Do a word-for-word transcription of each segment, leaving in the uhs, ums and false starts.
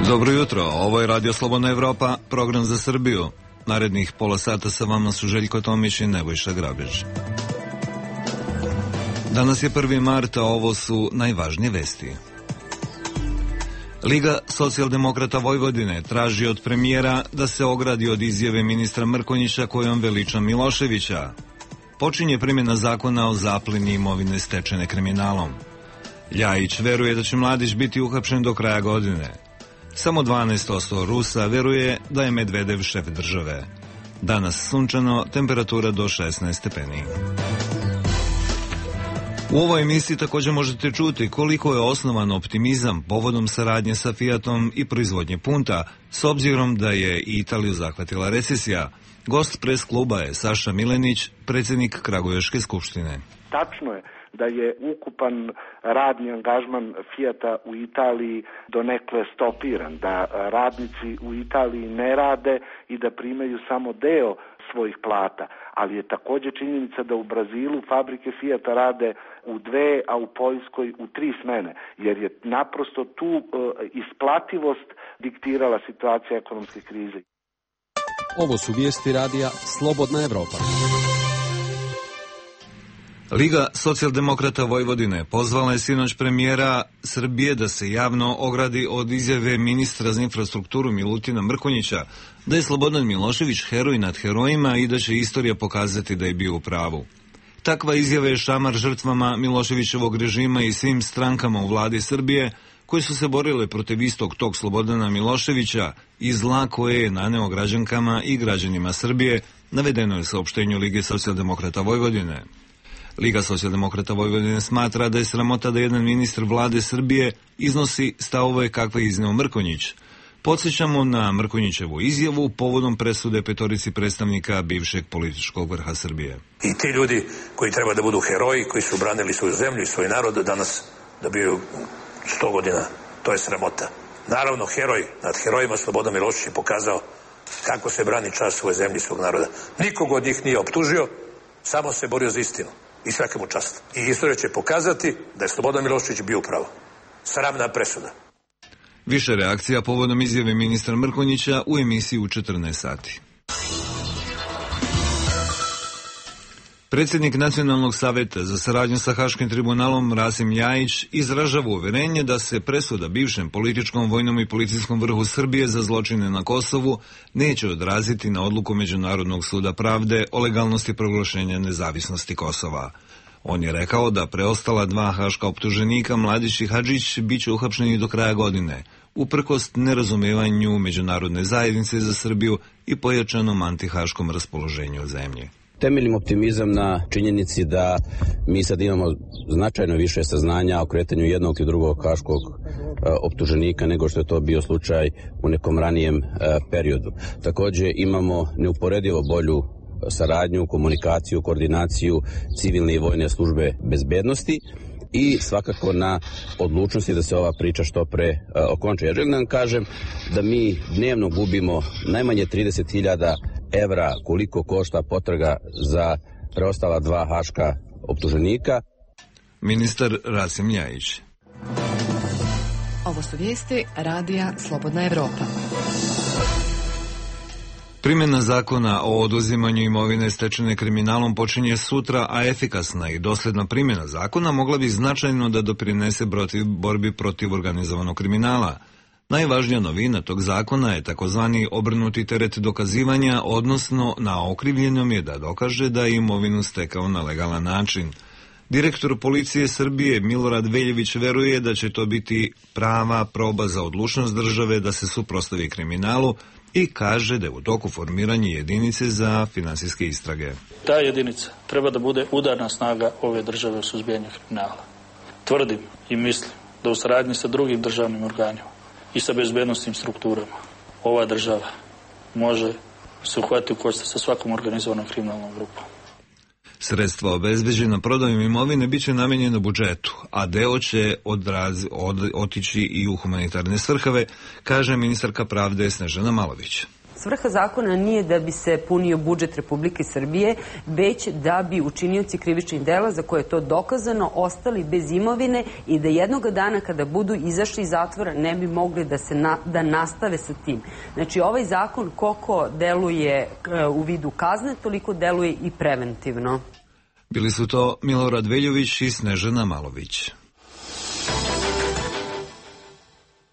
Dobro jutro, ovo je Radio Slobodna Evropa, program za Srbiju. Narednih pola sata sa vama su Željko Tomić i Nebojša Grabić. Danas je prvi mart, a ovo su najvažnije vesti. Liga socijaldemokrata Vojvodine traži od premijera da se ogradi od izjave ministra Mrkonjića kojom veliča Miloševića. Počinje primjena zakona o zapleni imovine stečene kriminalom. Ljajić veruje da će Mladić biti uhapšen do kraja godine. Samo dvanaest posto Rusa veruje da je Medvedev šef države. Danas sunčano, temperatura do šesnaest stepeni. U ovoj emisiji također možete čuti koliko je osnovan optimizam povodom saradnje sa Fiatom i proizvodnje punta, s obzirom da je i Italiju zahvatila recesija. Gost pres kluba je Saša Milenić, predsjednik Kragujevčke skupštine. Tačno je da je ukupan radni angažman Fiata u Italiji donekle stopiran, da radnici u Italiji ne rade i da primaju samo deo svojih plata, ali je također činjenica da u Brazilu fabrike Fiata rade u dve, a u Poljskoj u tri smene, jer je naprosto tu e, isplativost diktirala situacija ekonomske krize. Ovo su vijesti radija Slobodna Evropa. Liga socijaldemokrata Vojvodine pozvala je sinoć premijera Srbije da se javno ogradi od izjave ministra za infrastrukturu Milutina Mrkonjića da je Slobodan Milošević heroj nad herojima i da će istorija pokazati da je bio u pravu. Takva izjava je šamar žrtvama Miloševićevog režima i svim strankama u vladi Srbije koje su se borile protiv istog tog Slobodana Miloševića i zla koje je naneo građankama i građanima Srbije, navedeno je u saopštenju Lige socijaldemokrata Vojvodine. Liga socijaldemokrata Vojvodine smatra da je sramota da jedan ministar vlade Srbije iznosi stavove kakve je izneo Mrkonjić. Podsjećamo na Mrkonjićevu izjavu povodom presude petorici predstavnika bivšeg političkog vrha Srbije. I ti ljudi koji treba da budu heroji, koji su branili svoju zemlju i svoj narod, danas dobiju sto godina. To je sramota. Naravno, heroj nad herojima Slobodan Milošević je pokazao kako se brani čast svoje zemlje i svog naroda. Nikog od njih nije optužio, samo se borio za istinu. I svaka mu čast. I istorija će pokazati da je Slobodan Milošević bio pravo. Sramna presuda. Više reakcija povodom izjave ministra Mrkonjića u emisiji u četrnaest sati. Predsjednik Nacionalnog saveta za saradnju sa Haškim tribunalom Rasim Ljajić izražava uverenje da se presuda bivšem političkom, vojnom i policijskom vrhu Srbije za zločine na Kosovu neće odraziti na odluku Međunarodnog suda pravde o legalnosti proglašenja nezavisnosti Kosova. On je rekao da preostala dva haška optuženika, Mladić i Hadžić, bit će uhapšeni do kraja godine, uprkos nerazumevanju međunarodne zajednice za Srbiju i pojačanom antihaškom raspoloženju zemlje. Temeljim optimizam na činjenici da mi sad imamo značajno više saznanja o kretanju jednog i drugog haškog e, optuženika nego što je to bio slučaj u nekom ranijem e, periodu. Također imamo neuporedivo bolju saradnju, komunikaciju, koordinaciju civilne i vojne službe bezbednosti i svakako na odlučnosti da se ova priča što pre uh, okonča. Ja želim da vam kažem da mi dnevno gubimo najmanje trideset hiljada evra koliko košta potraga za preostala dva haška optuženika. Ministar Rasim Ljajić. Ovo su vijesti radija Slobodna Evropa. Primjena zakona o oduzimanju imovine stečene kriminalom počinje sutra, a efikasna i dosljedna primjena zakona mogla bi značajno da doprinese protiv borbi protiv organizovanog kriminala. Najvažnija novina tog zakona je takozvani obrnuti teret dokazivanja, odnosno na okrivljenom je da dokaže da je imovinu stekao na legalan način. Direktor policije Srbije Milorad Veljević veruje da će to biti prava proba za odlučnost države da se suprotstavi kriminalu i kaže da je u toku formiranje jedinice za finansijske istrage. Ta jedinica treba da bude udarna snaga ove države u suzbijanju kriminala. Tvrdim i mislim da u saradnji sa drugim državnim organima i sa bezbednosnim strukturama ova država može se uhvatiti u koštac sa svakom organizovanom kriminalnom grupom. Sredstva obezbeđena prodajom imovine bit će namenjeno budžetu, a deo će odraz, od, otići i u humanitarne svrhove, kaže ministarka pravde Snežana Malović. Svrha zakona nije da bi se punio budžet Republike Srbije, već da bi učinioci krivičnih dela za koje je to dokazano ostali bez imovine i da jednog dana kada budu izašli iz zatvora ne bi mogli da, se na, da nastave sa tim. Znači ovaj zakon koliko deluje u vidu kazne, toliko deluje i preventivno. Bili su to Milorad Veljović i Snežana Malović.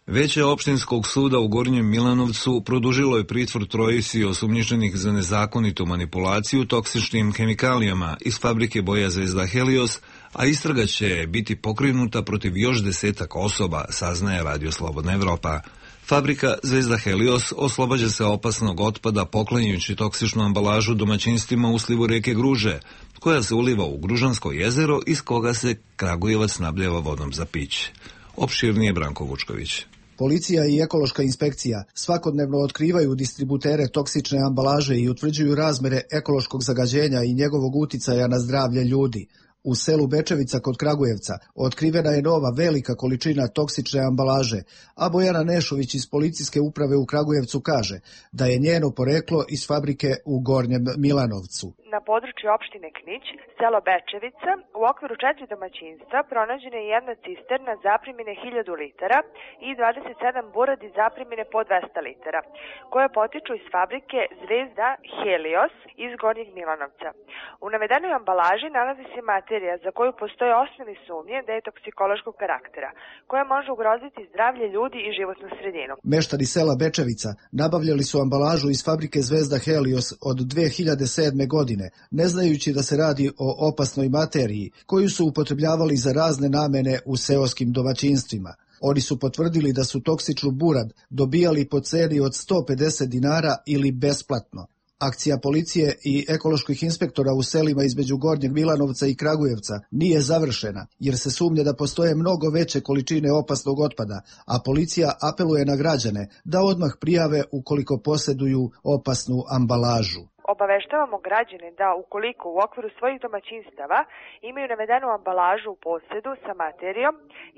Veće opštinskog suda u Gornjem Milanovcu produžilo je pritvor trojici osumnjičenih za nezakonitu manipulaciju toksičnim hemikalijama iz fabrike boja Zvezda Helios, a istraga će biti pokrenuta protiv još desetak osoba, saznaje Radio Slobodna Evropa. Fabrika Zvezda Helios oslobađa se opasnog otpada poklanjajući toksičnu ambalažu domaćinstvima u slivu reke Gruže, koja se uliva u Gružansko jezero iz koga se Kragujevac snabdeva vodom za piće. Opširnije Branko Vučković. Policija i ekološka inspekcija svakodnevno otkrivaju distributere toksične ambalaže i utvrđuju razmere ekološkog zagađenja i njegovog uticaja na zdravlje ljudi. U selu Bečevica kod Kragujevca otkrivena je nova velika količina toksične ambalaže, a Bojana Nešović iz policijske uprave u Kragujevcu kaže da je njeno poreklo iz fabrike u Gornjem Milanovcu. Na području opštine Knić, selo Bečevica, u okviru četiri domaćinstva pronađena je jedna cisterna zaprimine hiljadu litara i dvadeset sedam buradi zaprimine po dvesta litara, koje potiču iz fabrike Zvezda Helios iz Gornjeg Milanovca. U navedenoj ambalaži nalazi se materija za koju postoje osnovne sumnje da je toksikološkog karaktera, koja može ugroziti zdravlje ljudi i životnu sredinu. Meštani sela Bečevica nabavljali su ambalažu iz fabrike Zvezda Helios od dve hiljade sedme. godine, ne znajući da se radi o opasnoj materiji koju su upotrebljavali za razne namene u seoskim domaćinstvima. Oni su potvrdili da su toksičnu burad dobijali po ceni od sto pedeset dinara ili besplatno. Akcija policije i ekoloških inspektora u selima između Gornjeg Milanovca i Kragujevca nije završena, jer se sumnja da postoje mnogo veće količine opasnog otpada, a policija apeluje na građane da odmah prijave ukoliko posjeduju opasnu ambalažu. Obaveštavamo građane da ukoliko u okviru svojih domaćinstava imaju navedenu ambalažu u posjedu sa materijom,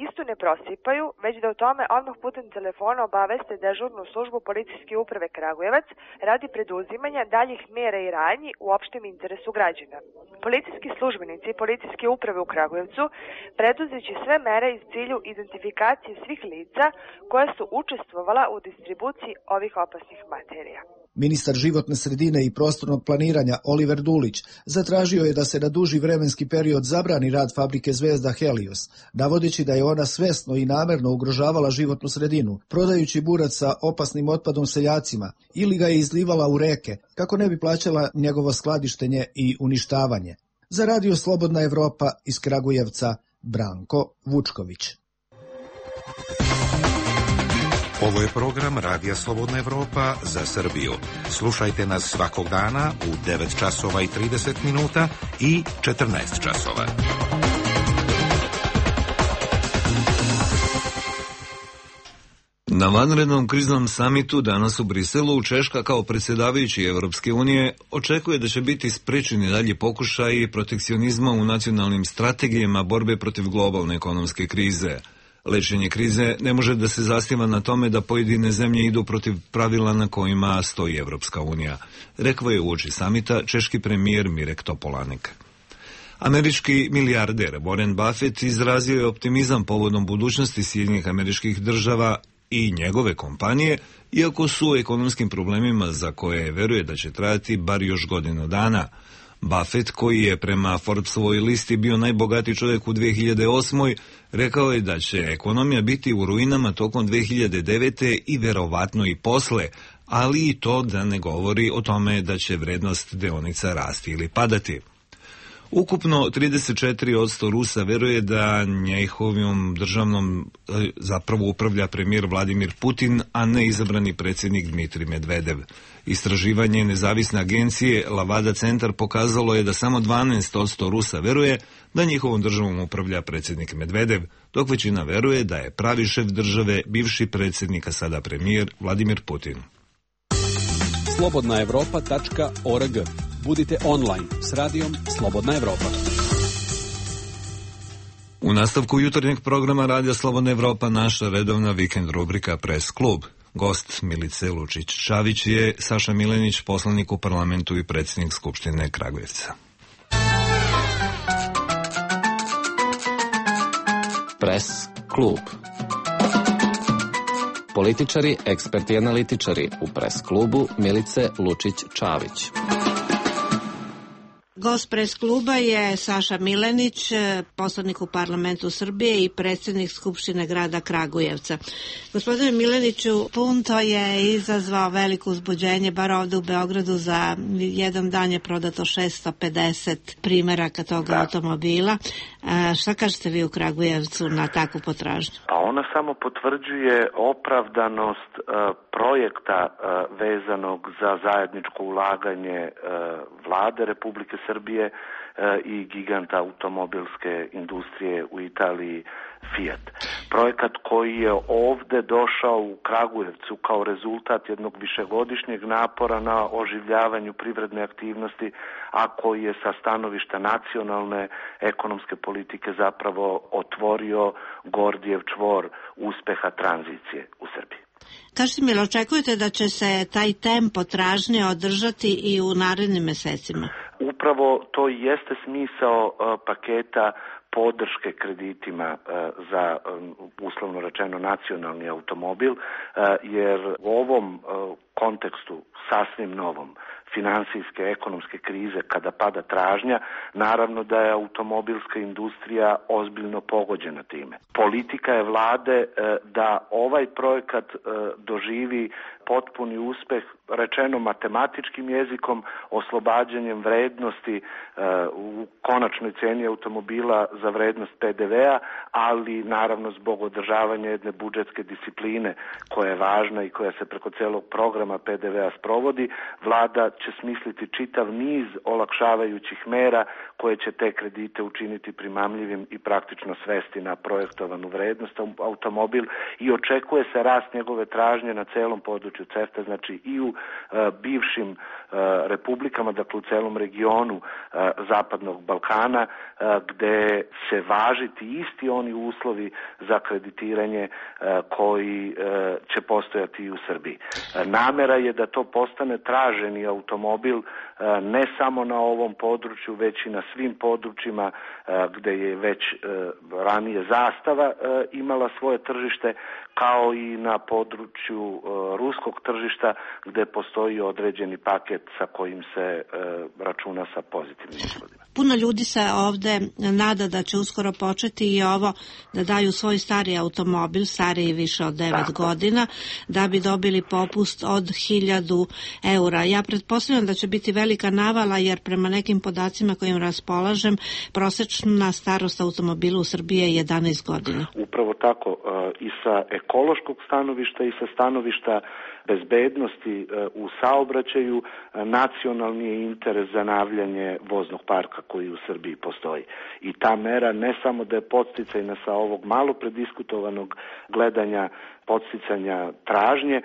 istu ne prosipaju, već da o tome odmah putem telefona obaveste dežurnu službu policijske uprave Kragujevac radi preduzimanja daljih mera i radnji u opštem interesu građana. Policijski službenici policijske uprave u Kragujevcu preduzeće sve mere iz cilju identifikacije svih lica koja su učestvovala u distribuciji ovih opasnih materija. Ministar životne sredine i prostornog planiranja Oliver Dulić zatražio je da se na duži vremenski period zabrani rad fabrike Zvezda Helios, navodeći da je ona svesno i namerno ugrožavala životnu sredinu, prodajući burac sa opasnim otpadom seljacima ili ga je izlivala u reke, kako ne bi plaćala njegovo skladištenje i uništavanje. Za Radio Slobodna Evropa iz Kragujevca, Branko Vučković. Ovo je program Radija Slobodna Evropa za Srbiju. Slušajte nas svakog dana u devet časova i trideset minuta i četrnaest časova. Na vanrednom kriznom samitu danas u Briselu Češka kao predsjedavajući Evropske unije očekuje da će biti sprečeni dalje pokušaji protekcionizma u nacionalnim strategijama borbe protiv globalne ekonomske krize. Lečenje krize ne može da se zasniva na tome da pojedine zemlje idu protiv pravila na kojima stoji Evropska unija, rekao je uoči samita češki premijer Mirek Topolanek. Američki milijarder Warren Buffett izrazio je optimizam povodom budućnosti Sjedinjenih Američkih Država i njegove kompanije, iako su u ekonomskim problemima za koje veruje da će trajati bar još godinu dana. Buffett, koji je prema Forbesovoj listi bio najbogatiji čovjek u dve hiljade osmoj. rekao je da će ekonomija biti u ruinama tokom dve hiljade devete. i verovatno i posle, ali i to da ne govori o tome da će vrednost deonica rasti ili padati. Ukupno trideset četiri posto Rusa veruje da njihovom državnom zapravo upravlja premijer Vladimir Putin, a ne izabrani predsjednik Dmitrij Medvedev. Istraživanje nezavisne agencije Lavada centar pokazalo je da samo dvanaest posto Rusa veruje da njihovom državom upravlja predsjednik Medvedev, dok većina veruje da je pravi šef države bivši predsjednik, a sada premijer Vladimir Putin. slobodna evropa tačka org. Budite online s radijom Slobodna Evropa. U nastavku jutarnjeg programa Radija Slobodna Evropa naša redovna vikend rubrika Press Klub. Gost Milice Lučić-Čavić je Saša Milenić, poslanik u parlamentu i predsjednik Skupštine Kragujevca. Pres klub. Političari, eksperti i analitičari u Pres klubu Milice Lučić-Čavić. Gost Pres kluba je Saša Milenić, poslanik u parlamentu Srbije i predsjednik Skupštine grada Kragujevca. Gospodine Mileniću, Punto je izazvao veliko uzbuđenje, bar ovde u Beogradu. Za jedan dan je prodato šesto pedeset primeraka toga da. automobila. A, šta kažete vi u Kragujevcu na takvu potražnju? A ona samo potvrđuje opravdanost uh, projekta uh, vezanog za zajedničko ulaganje uh, vlade Republike Srbije i giganta automobilske industrije u Italiji Fiat. Projekat koji je ovde došao u Kragujevcu kao rezultat jednog višegodišnjeg napora na oživljavanju privredne aktivnosti, a koji je sa stanovišta nacionalne ekonomske politike zapravo otvorio Gordijev čvor uspeha tranzicije u Srbiji. Kažete mi, očekujete da će se taj tempo tražnje održati i u narednim mesecima? Upravo to i jeste smisao uh, paketa podrške kreditima uh, za um, uslovno rečeno nacionalni automobil, uh, jer u ovom uh, kontekstu sasvim novom finansijske, ekonomske krize, kada pada tražnja, naravno da je automobilska industrija ozbiljno pogođena time. Politika je vlade da ovaj projekat doživi potpuni uspeh, rečeno matematičkim jezikom, oslobađanjem vrednosti u konačnoj ceni automobila za vrednost pe de vea, ali naravno zbog održavanja jedne budžetske discipline koja je važna i koja se preko celog programa pe de vea sprovodi, vlada će smisliti čitav niz olakšavajućih mera koje će te kredite učiniti primamljivim i praktično svesti na projektovanu vrednost automobil i očekuje se rast njegove tražnje na celom području CEFTA, znači i u e, bivšim e, republikama, dakle u celom regionu e, Zapadnog Balkana, e, gde će važiti isti oni uslovi za kreditiranje e, koji e, će postojati i u Srbiji. E, namera je da to postane traženi automobil e, ne samo na ovom području, već i na svim područjima e, gde je već e, ranije Zastava e, imala svoje tržište, kao i na području e, ruskog tržišta gde postoji određeni paket sa kojim se e, računa sa pozitivnim ishodima. Puno ljudi se ovde nada da će uskoro početi i ovo da daju svoj stari automobil, stariji više od devet godina, da bi dobili popust od hiljadu eura. Ja pretpostavljam da će biti velika navala, jer prema nekim podacima kojim raspolažem, prosečna starost automobila u Srbiji je jedanaest godina. Upravo tako, i sa ekološkog stanovišta i sa stanovišta bezbednosti u saobraćaju, nacionalni je interes zanavljanje voznog parka koji u Srbiji postoji. I ta mera ne samo da je podsticajna sa ovog malo prediskutovanog gledanja podsticanja tražnje,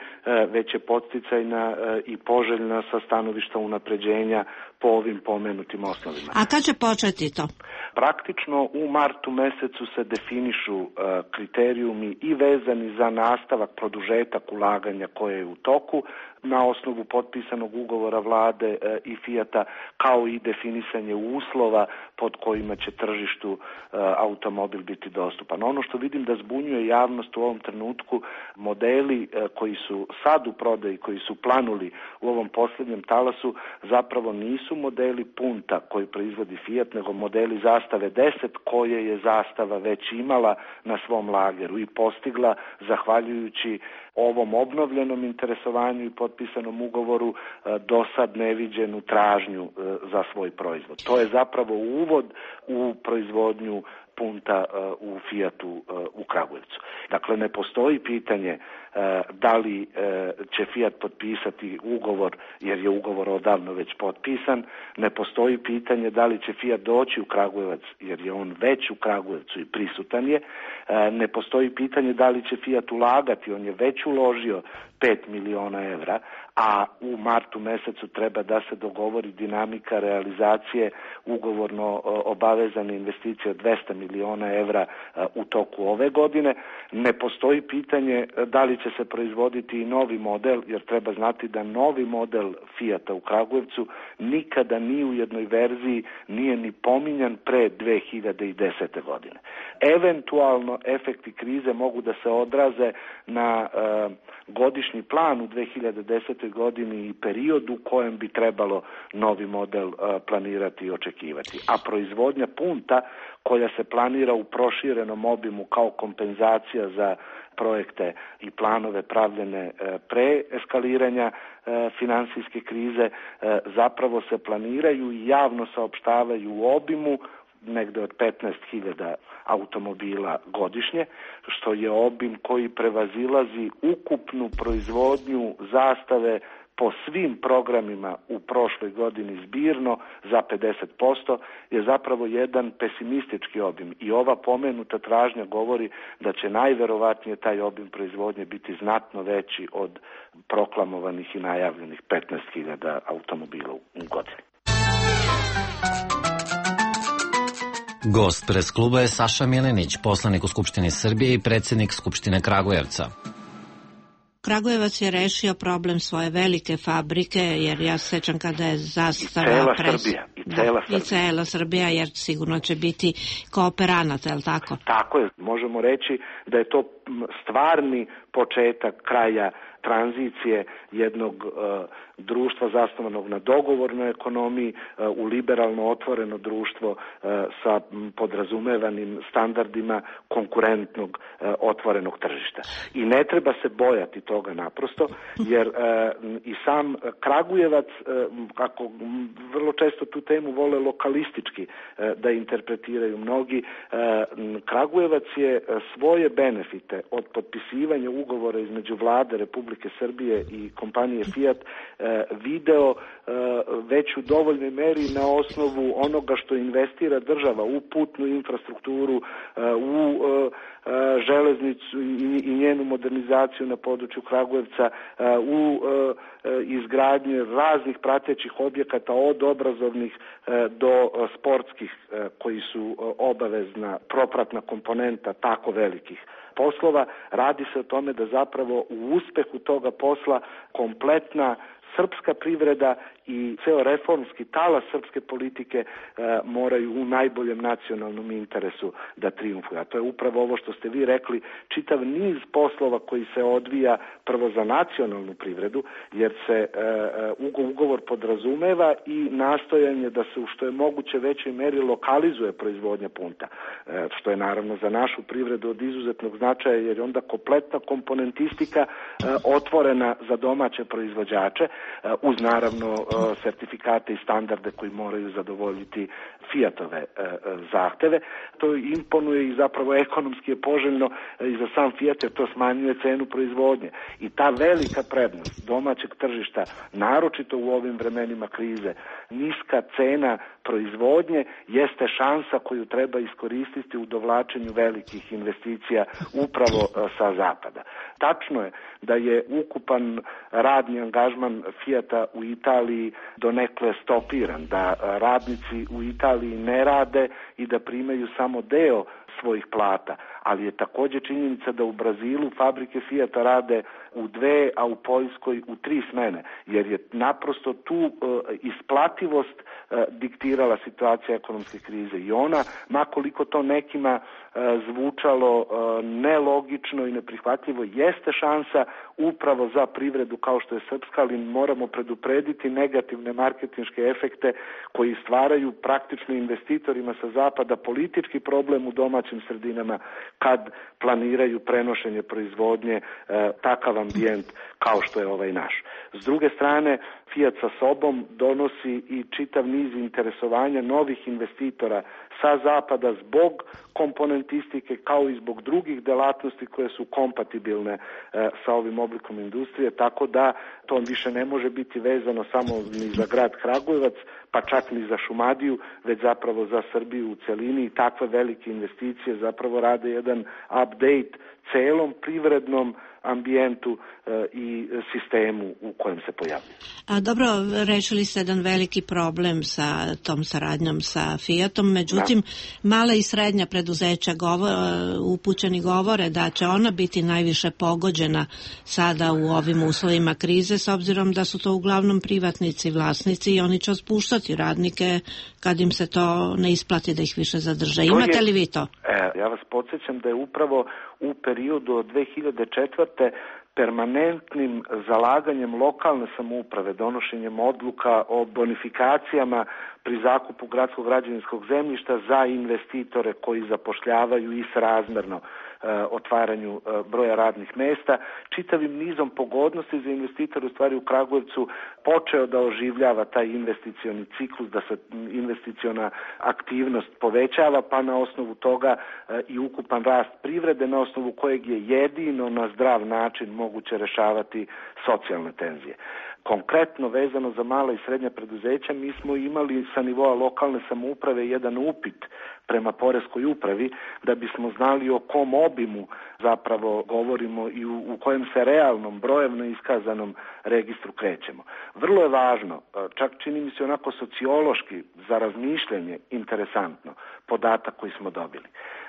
već je podsticajna i poželjna sa stanovišta unapređenja po ovim pomenutim osnovima. A kad će početi to? Praktično u martu mesecu se definišu uh, kriterijumi i vezani za nastavak, produžetak ulaganja koje je u toku na osnovu potpisanog ugovora vlade uh, i Fijata, kao i definisanje uslova pod kojima će tržištu uh, automobil biti dostupan. Ono što vidim da zbunjuje javnost u ovom trenutku, modeli uh, koji su sad u prodaji, koji su planuli u ovom posljednjem talasu, zapravo nisu modeli Punta koji proizvodi Fiat, nego modeli Zastave deset koje je Zastava već imala na svom lageru i postigla zahvaljujući ovom obnovljenom interesovanju i potpisanom ugovoru do sad neviđenu tražnju za svoj proizvod. To je zapravo uvod u proizvodnju Punta u Fijatu u Kragujevcu. Dakle, ne postoji pitanje da li će Fiat potpisati ugovor, jer je ugovor odavno već potpisan, ne postoji pitanje da li će Fiat doći u Kragujevac, jer je on već u Kragujevcu i prisutan je, ne postoji pitanje da li će Fiat ulagati, on je već uložio pet miliona evra, a u martu mesecu treba da se dogovori dinamika realizacije ugovorno obavezane investicije od dvesta miliona evra u toku ove godine. Ne postoji pitanje da li će se proizvoditi i novi model, jer treba znati da novi model Fijata u Kragujevcu nikada ni u jednoj verziji nije ni pominjan pre dve hiljade desete. godine. Eventualno efekti krize mogu da se odraze na e, godišnji plan u dve hiljade desetoj. godini i periodu u kojem bi trebalo novi model e, planirati i očekivati. A proizvodnja punta koja se planira u proširenom obimu kao kompenzacija za projekte i planove pravljene pre eskaliranja e, finansijske krize e, zapravo se planiraju i javno saopštavaju u obimu negde od petnaest hiljada automobila godišnje, što je obim koji prevazilazi ukupnu proizvodnju Zastave po svim programima u prošloj godini zbirno za pedeset posto, je zapravo jedan pesimistički obim i ova pomenuta tražnja govori da će najverovatnije taj obim proizvodnje biti znatno veći od proklamovanih i najavljenih petnaest hiljada automobila u godini. Gost pres kluba je Saša Milenić, poslanik u Skupštini Srbije i predsjednik Skupštine Kragujevca. Kragujevac je rešio problem svoje velike fabrike, jer ja se sećam kada je Zastava... I cela pres... Srbija. I cela, da, Srbija. I cela Srbija, jer sigurno će biti kooperanata, je li tako? Tako je. Možemo reći da je to stvarni početak kraja tranzicije jednog uh, društva zasnovanog na dogovornoj ekonomiji uh, u liberalno otvoreno društvo uh, sa podrazumevanim standardima konkurentnog uh, otvorenog tržišta. I ne treba se bojati toga naprosto, jer uh, i sam Kragujevac, uh, kako vrlo često tu temu vole lokalistički uh, da interpretiraju mnogi, uh, Kragujevac je svoje benefite od potpisivanja ugovora između vlade Republike Srbije i kompanije Fiat e, video e, već u dovoljnoj meri na osnovu onoga što investira država u putnu infrastrukturu, e, u e, železnicu i, i njenu modernizaciju na području Kragujevca, e, u e, izgradnje raznih pratećih objekata od obrazovnih e, do sportskih e, koji su obavezna propratna komponenta tako velikih poslova. Radi se o tome da zapravo u uspehu toga posla kompletna srpska privreda i ceo reformski talas srpske politike e, moraju u najboljem nacionalnom interesu da triumfuju. A to je upravo ovo što ste vi rekli, čitav niz poslova koji se odvija prvo za nacionalnu privredu, jer se e, ugovor podrazumeva i nastojanje da se u što je moguće većoj meri lokalizuje proizvodnja punta, e, što je naravno za našu privredu od izuzetnog značaja, jer je onda kompletna komponentistika e, otvorena za domaće proizvođače, e, uz naravno sertifikate i standarde koji moraju zadovoljiti Fiatove e, zahteve. To imponuje i zapravo ekonomski je poželjno i za sam Fiat, jer to smanjuje cenu proizvodnje. I ta velika prednost domaćeg tržišta, naročito u ovim vremenima krize, niska cena proizvodnje jeste šansa koju treba iskoristiti u dovlačenju velikih investicija upravo e, sa zapada. Tačno je da je ukupan radni angažman Fijata u Italiji donekle stopiran, da radnici u Italiji ne rade i da primaju samo deo svojih plata, ali je također činjenica da u Brazilu fabrike Fijata rade u dve, a u Poljskoj u tri smene, jer je naprosto tu e, isplativost e, diktirala situacija ekonomske krize i ona, makoliko to nekima e, zvučalo e, nelogično i neprihvatljivo, jeste šansa upravo za privredu kao što je srpska, ali moramo preduprediti negativne marketinške efekte koji stvaraju praktično investitorima sa zapada politički problem u domaćim sredinama kad planiraju prenošenje proizvodnje e, takav ambijent kao što je ovaj naš. S druge strane, Fiat sa sobom donosi i čitav niz interesovanja novih investitora sa zapada zbog komponentistike kao i zbog drugih delatnosti koje su kompatibilne e, sa ovim oblikom industrije, tako da to više ne može biti vezano samo ni za grad Kragujevac, pa čak ni za Šumadiju, već zapravo za Srbiju u celini, i takve velike investicije zapravo rade jedan update celom privrednom ambijentu i sistemu u kojem se pojavljuje. A dobro, rešili ste jedan veliki problem sa tom saradnjom sa Fiatom, međutim, da. Mala i srednja preduzeća govor, upućeni govore da će ona biti najviše pogođena sada u ovim uslovima krize, s obzirom da su to uglavnom privatnici, vlasnici i oni će otpuštati radnike kad im se to ne isplati da ih više zadrže. Imate je, li vi to? E, ja vas podsjećam da je upravo u periodu od dve hiljade četvrte permanentnim zalaganjem lokalne samouprave, donošenjem odluka o bonifikacijama pri zakupu gradskog građevinskog zemljišta za investitore koji zapošljavaju i srazmerno e, otvaranju e, broja radnih mesta, čitavim nizom pogodnosti za investitore u stvari u Kragujevcu počeo da oživljava taj investicioni ciklus, da se investiciona aktivnost povećava, pa na osnovu toga e, i ukupan rast privrede, na osnovu kojeg je jedino na zdrav način moguće rešavati socijalne tenzije. Konkretno vezano za mala i srednja preduzeća, mi smo imali sa nivoa lokalne samouprave jedan upit prema poreskoj upravi da bismo znali o kom obimu zapravo govorimo i u, u kojem se realnom, brojevno iskazanom registru krećemo. Vrlo je važno, čak čini mi se onako sociološki za razmišljanje interesantno, podatak koji smo dobili.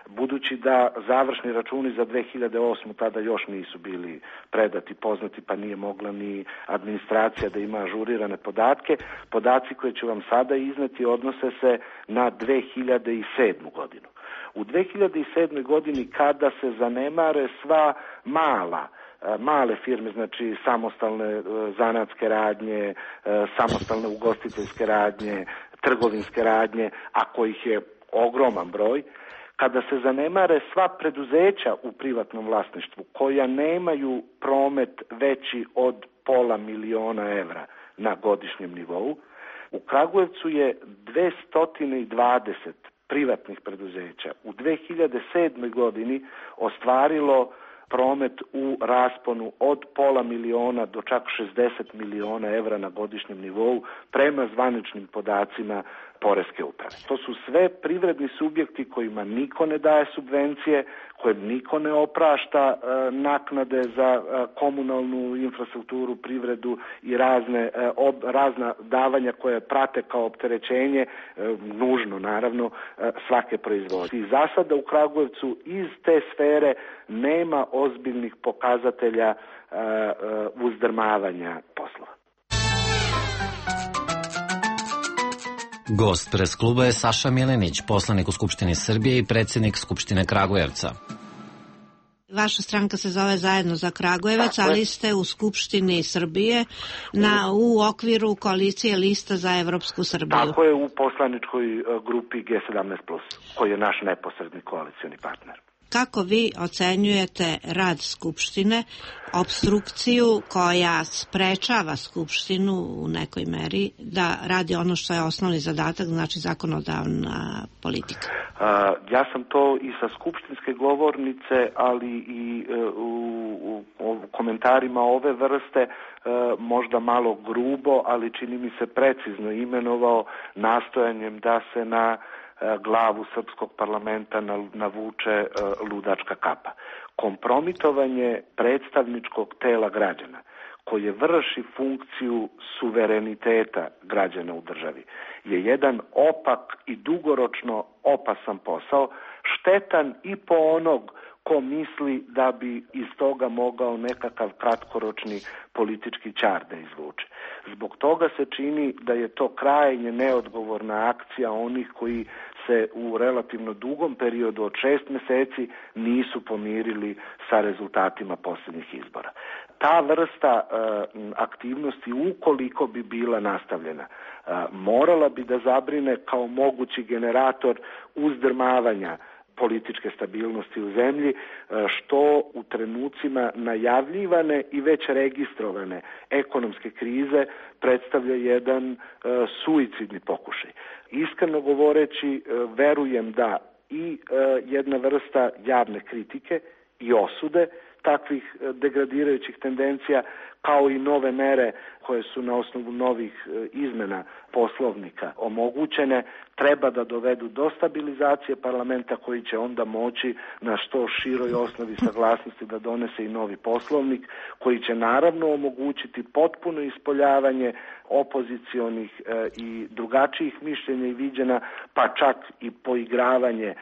Budući da završni računi za dve hiljade osmu tada još nisu bili predati, poznati, pa nije mogla ni administracija da ima ažurirane podatke, podaci koje ću vam sada izneti odnose se na dve hiljade sedmu godinu. U dve hiljade sedmoj godini kada se zanemare sva mala male firme, znači samostalne zanatske radnje, samostalne ugostiteljske radnje, trgovinske radnje, a kojih je ogroman broj, kada se zanemare sva preduzeća u privatnom vlasništvu koja nemaju promet veći od pola miliona evra na godišnjem nivou, u Kragujevcu je dvesta dvadeset privatnih preduzeća u dve hiljade sedmoj godini ostvarilo promet u rasponu od pola miliona do čak šezdeset miliona evra na godišnjem nivou prema zvaničnim podacima poreske uprave. To su sve privredni subjekti kojima niko ne daje subvencije, kojem niko ne oprašta e, naknade za e, komunalnu infrastrukturu, privredu i razne e, ob, razna davanja koje prate kao opterećenje, e, nužno naravno, e, svake proizvodnje. I za sada u Kragujevcu iz te sfere nema ozbiljnih pokazatelja e, e, uzdrmavanja poslova. Gost pres kluba je Saša Milenić, poslanik u Skupštini Srbije i predsjednik Skupštine Kragujevca. Vaša stranka se zove Zajedno za Kragujevac, ali ste u Skupštini Srbije na, u okviru koalicije Lista za Evropsku Srbiju. Tako je, u poslaničkoj grupi G sedamnaest plus, koji je naš neposredni koalicioni partner. Kako vi ocenjujete rad Skupštine, opstrukciju koja sprečava Skupštinu u nekoj meri da radi ono što je osnovni zadatak, znači zakonodavna politika? A, ja sam to i sa skupštinske govornice, ali i e, u, u, u komentarima ove vrste e, možda malo grubo, ali čini mi se precizno imenovao nastojanjem da se na glavu srpskog parlamenta navuče ludačka kapa. Kompromitovanje predstavničkog tela građana koje vrši funkciju suvereniteta građana u državi je jedan opak i dugoročno opasan posao, štetan i po onog ko misli da bi iz toga mogao nekakav kratkoročni politički ćar da izvuče. Zbog toga se čini da je to krajnje neodgovorna akcija onih koji se u relativno dugom periodu od šest meseci nisu pomirili sa rezultatima posljednjih izbora. Ta vrsta e, aktivnosti, ukoliko bi bila nastavljena, e, morala bi da zabrine kao mogući generator uzdrmavanja političke stabilnosti u zemlji, što u trenucima najavljivane i već registrovane ekonomske krize predstavlja jedan suicidni pokušaj. Iskreno govoreći, verujem da i jedna vrsta javne kritike i osude takvih degradirajućih tendencija, kao i nove mere koje su na osnovu novih izmena poslovnika omogućene, treba da dovedu do stabilizacije parlamenta koji će onda moći na što široj osnovi saglasnosti da donese i novi poslovnik koji će naravno omogućiti potpuno ispoljavanje opozicionih e, i drugačijih mišljenja i viđena, pa čak i poigravanje e,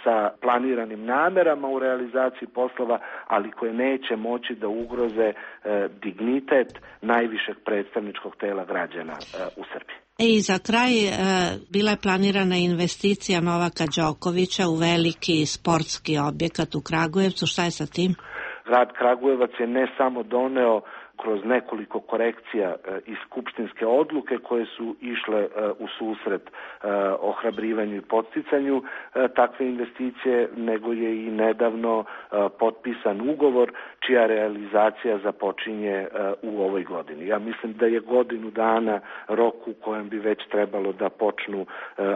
sa planiranim namerama u realizaciji poslova, ali koje neće moći da ugroze e, dignitet najvišeg predstavničkog tela građana e, u Srbiji. I za kraj e, bila je planirana investicija Novaka Đokovića u veliki sportski objekat u Kragujevcu. Šta je sa tim? Grad Kragujevac je ne samo doneo kroz nekoliko korekcija e, i skupštinske odluke koje su išle e, u susret e, ohrabrivanju i podsticanju e, takve investicije, nego je i nedavno e, potpisan ugovor čija realizacija započinje e, u ovoj godini. Ja mislim da je godinu dana rok u kojem bi već trebalo da počnu e,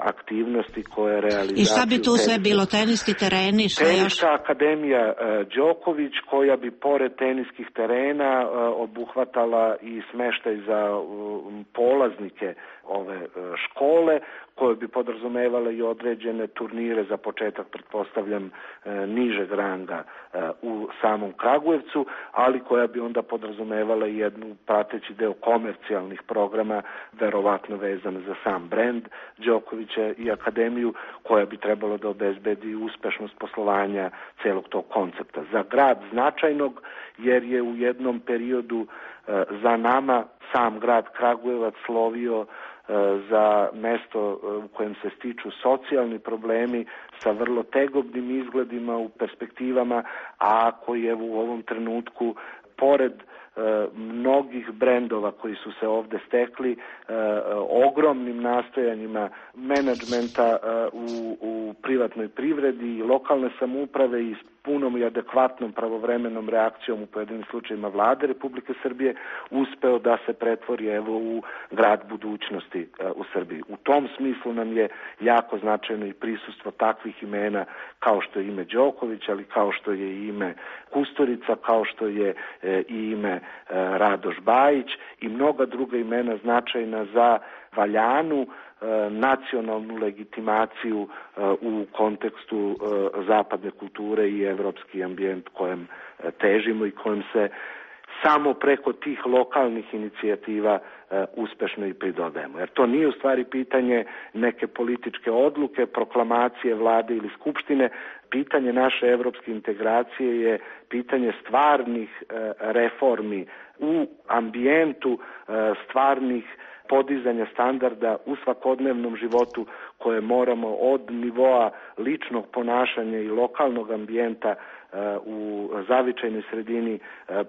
aktivnosti koje realizaciju... I šta bi tu sve bilo? Teniski tereni? Šta Teniska još? akademija e, Đoković, koja bi pored teniskih terena e, obuhvatala i smeštaj za um, polaznike ove uh, škole, koje bi podrazumevale i određene turnire za početak, pretpostavljam, uh, nižeg ranga uh, u samom Kragujevcu, ali koja bi onda podrazumevala i jednu prateći deo komercijalnih programa, verovatno vezan za sam brend Đokovića i akademiju, koja bi trebalo da obezbedi uspešnost poslovanja celog tog koncepta. Za grad značajnog, jer je u jednom periodu za nama sam grad Kragujevac slovio za mesto u kojem se stiču socijalni problemi sa vrlo tegobnim izgledima u perspektivama, a koji je u ovom trenutku, pored mnogih brendova koji su se ovde stekli, ogromnim nastojanjima menadžmenta u, u privatnoj privredi i lokalne samouprave i punom i adekvatnom pravovremenom reakcijom u pojedinim slučajima vlade Republike Srbije uspeo da se pretvori evo u grad budućnosti u Srbiji. U tom smislu nam je jako značajno i prisustvo takvih imena kao što je ime Đoković, ali kao što je i ime Kusturica, kao što je i ime Radoš Bajić i mnoga druga imena značajna za valjanu nacionalnu legitimaciju u kontekstu zapadne kulture i evropski ambijent kojem težimo i kojem se samo preko tih lokalnih inicijativa uspešno i pridodajemo. Jer to nije u stvari pitanje neke političke odluke, proklamacije vlade ili skupštine. Pitanje naše evropske integracije je pitanje stvarnih reformi u ambijentu stvarnih podizanja standarda u svakodnevnom životu koje moramo od nivoa ličnog ponašanja i lokalnog ambijenta u zavičajnoj sredini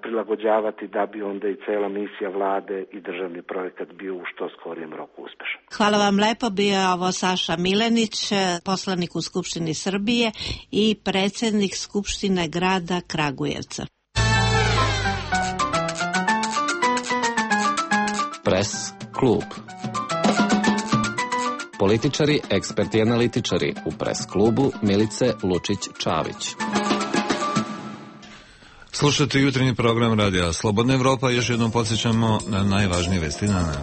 prilagođavati da bi onda i cela misija vlade i državni projekat bio u što skorijem roku uspešan. Hvala vam lepo, bio je ovo Saša Milenić, poslanik u Skupštini Srbije i predsednik Skupštine grada Kragujevca. Pres klub. Političari, eksperti i analitičari u Pres klubu Milice Lučić-Čavić. Slušajte jutarnji program Radija Slobodna Evropa. Još jednom podsjećamo na najvažnije vesti dana.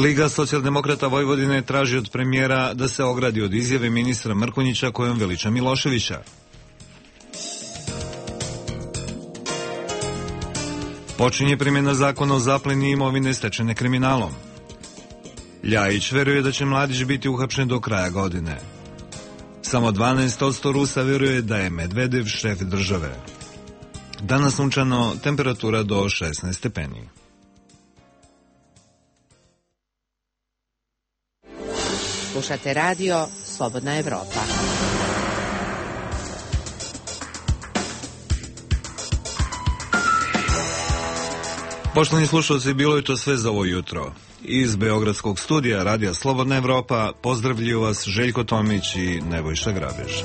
Liga socijaldemokrata Vojvodine traži od premijera da se ogradi od izjave ministra Mrkonjića kojom veliča Miloševića. Počinje primjena zakona o zapleni imovine stečene kriminalom. Ljajić veruje da će Mladić biti uhapšen do kraja godine. Samo dvanaest posto Rusa veruje da je Medvedev šef države. Danas sunčano, temperatura do šesnaest stepeni. Slušate radio Slobodna Evropa. Poštovani slušalci, bilo je to sve za ovo jutro. Iz Beogradskog studija Radija Slobodna Evropa pozdravljuju vas Željko Tomić i Nebojša Grabež.